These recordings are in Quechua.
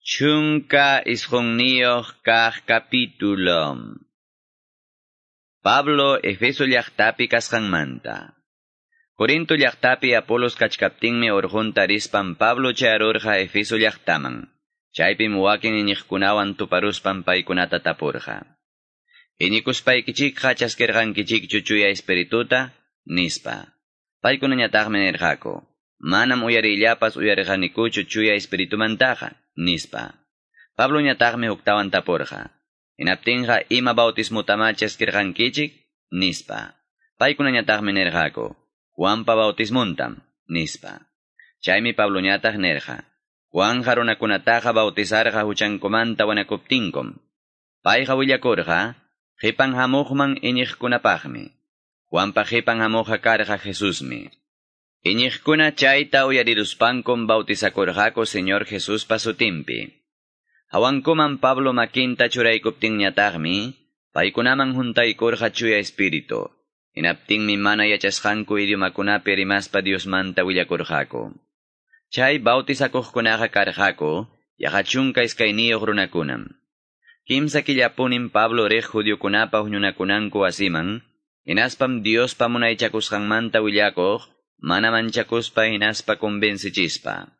19 kaq capítulo. Pablo Efeso llaqtapi kasqanmanta. Corinto llaqtapi Apolos kachkaptinmi urqunta rispan Pablo chayarurqa Efeso llaqtaman. Chaypim wakin iñiqkunawan tuparuspan paykunata tapurqa. Iñikuspaykichikqa chaskirqankichikchu Chuya Espirituta? Nispa. Paykunañataqmi nirqaku: Manam uyariyllapas uyarirqanikuchu Chuya Espiritumantaqa, nispa. Pabloñataqmi huktawan tapurqa: Hinaptinqa ima bautismutamá chaskirqankichik? Nispa. Paykunañataqmi nirqaku: Juanpa bautismuntam, nispa. Chaymi Pabloñataq nirqa: Juanja runakunataqa bautizarqa huchankumanta wanakuptinkum. Payqa willakurqa qipan hamuqman iñiqkunapaqmi. Juanpa qipan hamuqqa karqa Jesusmi. Iñiqkuna chayta uyariruspankum bautizakurqaku Señor Jesuspa sutinpi. Hawankuman Pablo makinta churaykuptinñataqmi, paykunaman huntaykurqa Chuya Espíritu. Hinaptinmi mana yachasqanku idiomakunapi rimaspa Diosmanta willakurqaku. Chay bautizakuqkunaqa karqaku yaqa 12 runakunam. Kimsa killapunim Pablo riq judiokunapa huñunakunanku wasiman, hinaspam Diospa munaychakusqanmanta willakuq, mana manchakuspa hinaspa convencichispa.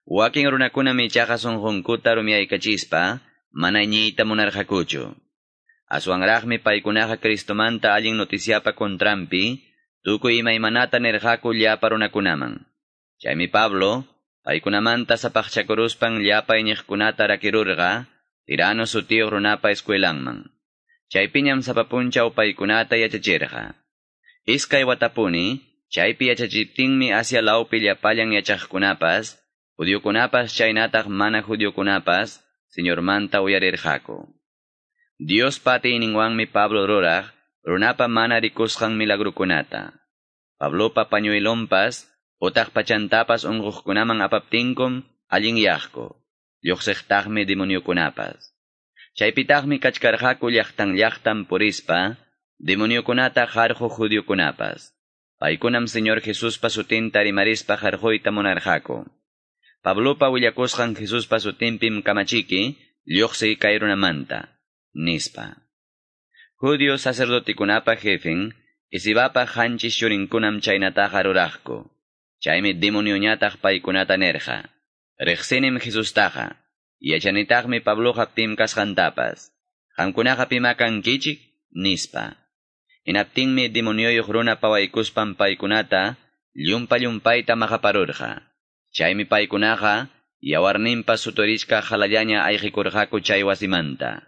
Wakin runakunam ichaqa sunqunkuta rumiyaykachispa, mana iñiyta munarqakuchu. Aswanraqmi paykunaqa Cristomanta allin noticiapa contranpi, tukuy imaymanata nirqaku llapa runakunaman. Chaymi Pablo, paykunamanta sapaqchakuruspan llapa iñiqkunata rakirurqa, Tirano sutiyuq runapa escuelanman. Chaypiñam sapa punchaw paykunata yachachirqa. 2 watapuni, chaypi yachachiptinmi Asia lawpi llapallan yachaqkunapas, judiokunapas chaynataq mana judiokunapas, Señormanta uyarirqaku. Diospa atiyninwanmi Pablo ruraq, runapa mana rikusqan milagrukunata. Pablopa pañuelonpas, utaq pachantapas unquqkunaman apaptinkum allinyaqku, lluqsiqtaqmi demoniokunapas. Chaypitaqmi kachkarqaku llaqtan llaqtan purispa, demoniokunata qarquq judiokunapas. Paykunam Señor Jesuspa sutinta rimarispa qarquyta munarqaku. Pablopa willakusqan Jesuspa sutinpim kamachiki, lluqsiy kay runamanta, nispa. Judío sacerdotikunapa jefen, Escevapa 7 churinkunam chaynataqa ruraqku. Chaymi demonioñataq paykunata nirqa: Riqsinim Jesustaqa, yachanitaqmi Pabloqa pim kasqantapas. Qamkunaqa pima kankichik? Nispa. Hinaptinmi demonioyuq runa pawaykuspan paykunata llumpa-llumpayta maqaparurqa. Chaymi paykunaqa yawarninpa suturichka halallaña ayqikurqaku chay wasimanta.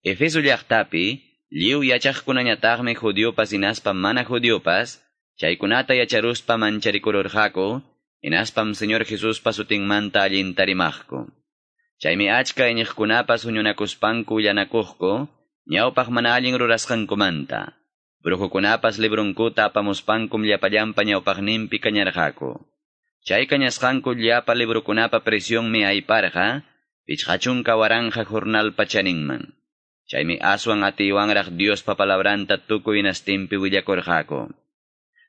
Efeso llaqtapi lliw yachaqkunañataqmi judiopas hinaspa mana judiopas, chaykunata yacharuspa mancharikururqaku, hinaspam Señor Jesuspa sutinmanta allinta rimaqku. Chaymi achka iñiqkunapas huñunakuspanku willanakuqku, ñawpaq mana allin rurasqankumanta. Brujokunapas librunkuta apamuspankum llapallanpa ñawpaqninpi kañarqaku. Chay kañasqanku llapa librukunapa presionmi ayparqa, 50,000 jornalpa chaninman. Chaymi aswan atiywanraq Diospa palabranta tukuy hinastinpi willakurqaku.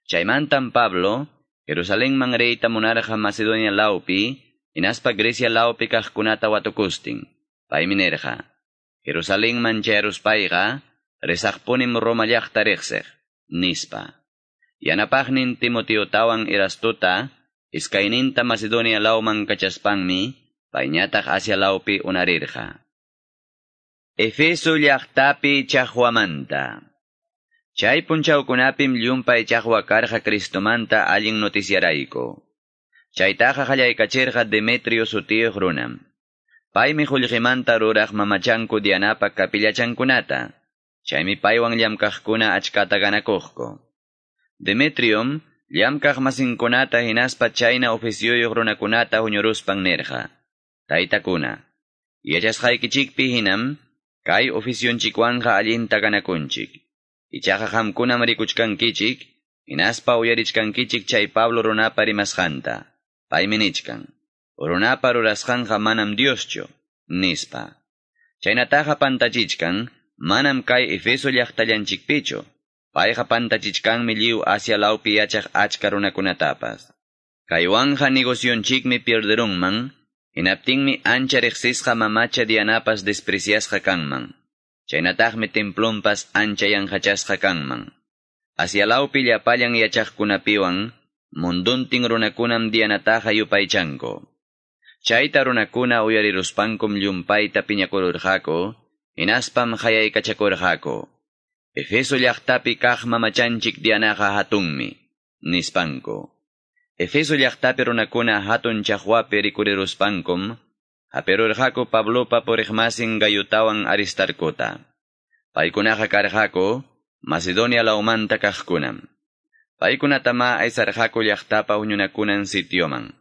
Chaymantam Pablo, Jerusalenman riyta munarqa Macedonia lawpi, hinaspa Grecia lawpi kaqkunata watukustin. Paymi nirqa: Jerusalenman chayaruspayqa, risaqpunim Roma llaqta riqsiq, nispa. Yanapaqnin Timoteotawan Erastota, iskayninta Macedonia lawman kachaspanmi, payñataq Asia lawpi unarirqa. Efeso llaqtapi chaqwamanta. Chay punchawkunapim llumpay chaqwa karqa Cristomanta allin noticiarayku. Chaytaqa qallaykachirqa Demetrio sutiyuq runam. Paymi qullqimanta ruraq mamachanku Dianapa kapillachankunata. Chaymi paywan llamkaqkuna achkata ganakuqku. Demetriom llamkaq masinkunata hinaspa chayna oficioyuq runakunata huñuruspan nirqa: Taytakuna, yachasqaykichikpi hinam kay oficionchikwanqa allinta ganakunchik. Ichaqa qamkunam rikuchkankichik, hinaspa uyarichkankichik chay Pablo runapa rimasqanta. Paymi nichkan: Runapa rurasqanqa manam Dioschu, nispa. Chaynataqa pantachichkan, manam kay Efeso llaqtallanchikpichu. Payqa pantachichkanmi lliw Asia lawpi yachaq achka runakunatapas. Kaywanja negocionchikmi pierderunman, Hinaptinmi ancha reqsisqa mamacha Dianapas despreciasqa kanman. Chaynataqmi templonpas ancha yanqachasqa kanman. Asia lawpi llapallan yachaqkunapiwan munduntin runakunam Dianataqa yupaychanku. Chayta runakuna uyariruspankum llumpayta piñakururqaku, hinaspam qayaykachakurqaku. Efeso llaqtapi kaq mamachanchik Dianaqa hatunmi, nispanku. Efeso llaqtapi runakuna hatun chaqwapi rikuriruspankum, hapirurqaku Pablopa puriqmasin Gayutawan Aristarcota. Paykunaqa karqaku Macedonia lawmanta kaqkunam. Paykunatama aysarqaku llaqtapa huñunakunan sitioman.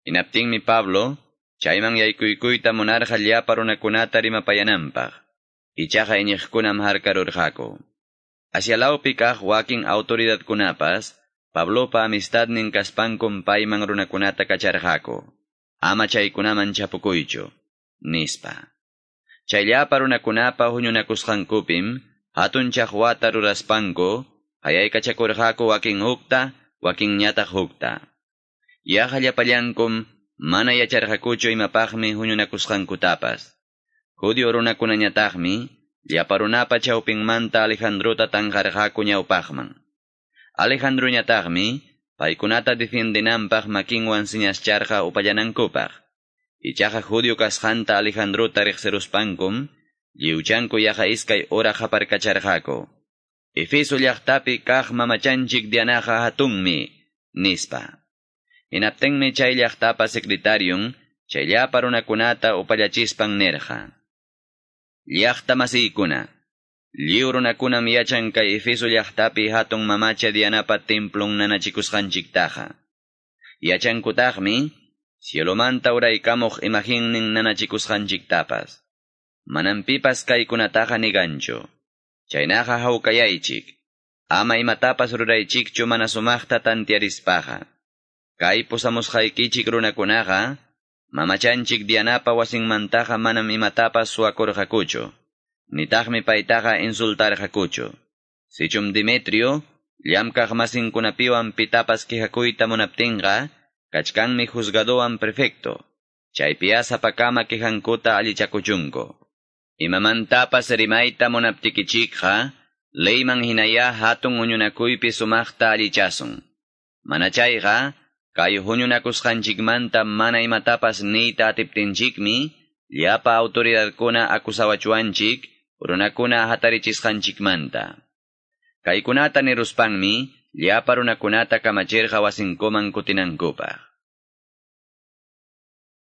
Hinaptinmi Pablo, chayman yaykuykuyta munarqa llapa runakunata rimapayananpaq. Ichaqa iñiqkunam harkarurqaku. Asia lawpi kaq wakin autoridadkunapas, Pablopa amistadnin kaspankum payman runakunata kacharqaku. Ama chaykunaman chapukuychu, nispa. Chay llapa runakunapa huñunakusqankupim, hatun chaqwata ruraspanku, qayaykachakurqaku wakin hukta, wakinñataq hukta. Yaqa llapallankum mana yacharqakuchu imapaqmi huñunakusqankutapas. Judío runakunañataqmi, llapa runapa chawpinmanta Alejandrota tanqarqaku ñawpaqman. Alejandroñataqmi, paykunata defiendenanpaq makinwan señascharqa upallanankupaq. Ichaqa judío kasqanta Alejandrota riqsiruspankum, lliwchanku yaqa iskay hora qaparkacharqaku. Efeso llaqtapi kaq mamachanchik Dianaqa hatunmi, nispa. Hinaptinmi chay llaqtapa secretarion, chay llapa runakunata upallachispan nirqa. Llaqta masiykuna, lliw runakunam yachan kay Efeso llaqtapi hatun mamacha Dianapa templon nanachikusqanchiktaqa. Yachankutaqmi, cielomanta uraykamuq imaginnin nanachikusqanchiktapas. Manam pipas kaykunataqa niganchu. Chaynaqa hawkayaychik. Ama imatapas ruraychikchu mana sumaqta tantiarispaqa. Kay pusamusqaykichik runakunaqa, mamachanchik Dianapa wasinmantaqa manam imatapas suwakurqakuchu. Nitaqmi paytaqa insultarqakuchu. Sichum Demetrio, llamkaq masinkunapiwan pitapas quejakuyta munaptinqa, kachkanmi juzgadowan prefecto. Chaypiya sapakama quejankuta allichakuchunku. Imamantapas rimayta munaptikichikqa, leyman hinaya hatun huñunakuypi sumaqta allichasun. Mana chayqa, kay huñunakusqanchikmanta mana imatapas niyta atiptinchikmi, llapa autoridadkuna akusawachuanchik, runakuna hatarichisqanchikmanta. Kaykunata niruspanmi, llapa runakunata kamachirqa wasinkuman kutinankupaq.